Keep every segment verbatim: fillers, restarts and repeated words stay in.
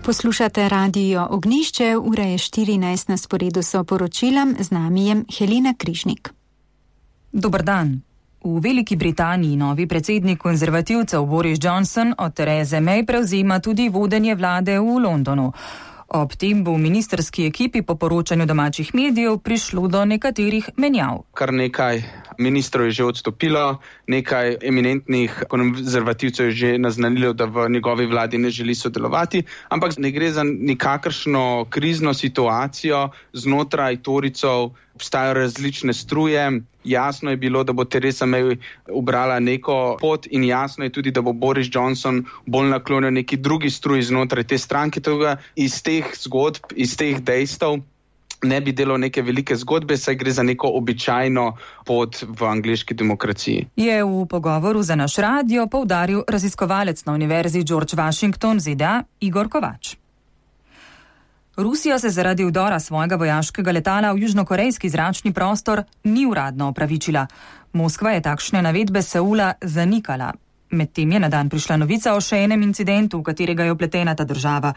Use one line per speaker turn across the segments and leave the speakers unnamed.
Poslušate Radio Ognjišče, ura je štirinajst, na sporedu so poročila, z nami je Helena Križnik.
Dober dan. V Veliki Britaniji novi predsednik konzervativcev Boris Johnson od Therese May prevzema tudi vodenje vlade v Londonu. Ob tem bo v ministerski ekipi po poročanju domačih medijev prišlo do nekaterih menjav.
Kar nekaj ministrov je že odstopilo, nekaj eminentnih konzervativcev je že naznanilo, da v njegovi vladi ne želi sodelovati, ampak ne gre za nikakršno krizno situacijo znotraj Torycev. Obstajajo različne struje. Jasno je bilo, da bo Theresa May ubrala neko pot in jasno je tudi, da bo Boris Johnson bolj naklonil neki drugi struj znotraj te stranke. Toga iz teh zgodb, iz teh dejstev ne bi delal neke velike zgodbe, saj gre za neko običajno pot v angleški demokraciji.
Je v pogovoru za naš radio poudaril raziskovalec na Univerzi George Washington Z D A Igor Kovač. Rusija se zaradi vdora svojega vojaškega letala v južnokorejski zračni prostor ni uradno opravičila. Moskva je takšne navedbe Seula zanikala. Medtem je na dan prišla novica o še enem incidentu, v katerega je vpletena ta država.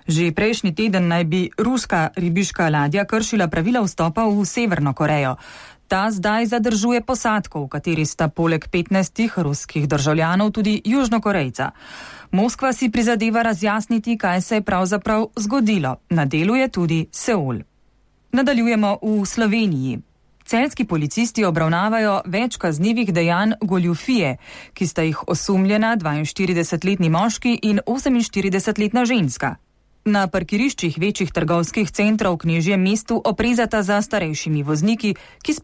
Že prejšnji teden naj bi ruska ribiška ladja kršila pravila vstopa v Severno Korejo. Ta zdaj zadržuje posadko, v kateri sta poleg petnajstih ruskih državljanov tudi Južnokorejca. Moskva si prizadeva razjasniti, kaj se je pravzaprav zgodilo. Na delu je tudi Seul. Nadaljujemo v Sloveniji. Celjski policisti obravnavajo več kaznivih dejanj goljufije, ki sta jih osumljena dvainštiridesetletni moški in oseminštiridesetletna ženska. Na parkiriščih večjih trgovskih centrov v Knežjem mestu oprezata za starejšimi vozniki, ki speljujejo